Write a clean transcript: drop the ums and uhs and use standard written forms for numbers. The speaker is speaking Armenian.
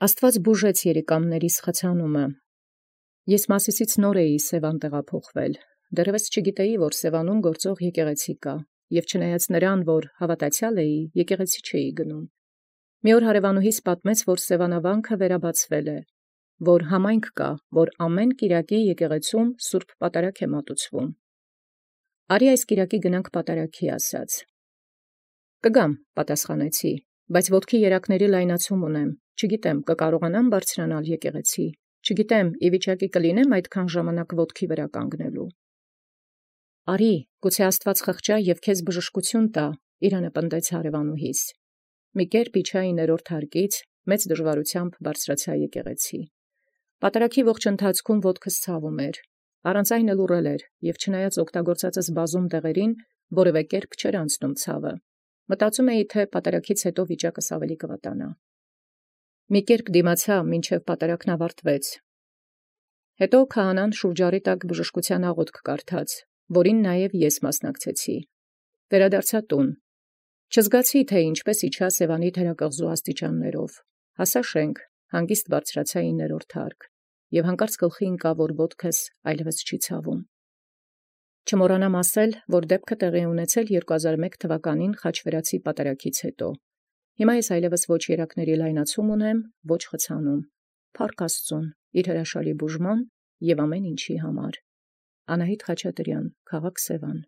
Աստուած բուժեց երիկամներիս խցանումը։ Ես Մասիսից նոր էի Սևան տեղափոխվել, դեռևս չգիտեի, որ Սևանում գործող եկեղեցի կա, և չնայած նրան, որ հավատացյալ էի, եկեղեցի չէի գնում։ Մի օր հարևանուհիս պատմեց, որ Սևանավանքը վերաբացվել է, որ համայնք կա, որ ամեն կիրակի եկեղեցում սուրբ պատարագ է մատուցվում։ Արի այս կիրակի գնանք պատարագի, ասաց։ Կգամ, պատասխանեցի, բայց ոտքի երակների լայնացում ունեմ, չգիտեմ, կկարողանամ բարձրանալ եկեղեցի, չգիտեմ, ի վիճակի կլինեմ այդքան ժամանակ ոտքի վրա կանգնելու։ Արի, գուցե Աստված խղճա և քեզ բժշկություն տա, իրանը պնդեց հարևանուհիս։ Մի կերպ իջա 9-րդ հարկից, մեծ դժվարությամբ բարձրացա եկեղեցի։ Պատարագի ողջ ընթացքում ոտքս ցավում էր, առանց այն էլ ուռել էր, և չնայած օգտագործածս բազում դեղերին, որևէ կերպ չէր անցնում ցավը։ Մտածում էի, թե պատարագից հետո վիճակս ավելի կվատանա։ Մի կերպ դիմացա, մինչև պատարագն ավարտվեց։ Հետո քահանան շուրջարի տակ բժշկության աղոթք կարդաց, որին նաև ես մասնակցեցի։ Վերադարձա տուն։ Չզգացի, թե ինչպես իջա Սևանի թերակղզու աստիճաններով։ Հասա շենք, հանգիստ բարձրացա 9-րդ հարկ, և հանկարծ գլխի ընկավ, որ ոտքս այլևս չի ցավում։ Չմոռանամ ասել, որ դեպքը տեղի ունեցել 2001 թվականին Խաչվերացի պատարագից հետո։ Հիմա ես այլևս ոչ երակների լայնացում ունեմ, ոչ խցանում։ Փառք Աստծուն, իր հրաշալի բուժման և ամեն ինչի համար։ Անահիտ Խաչատրյան, քաղաք Սևան։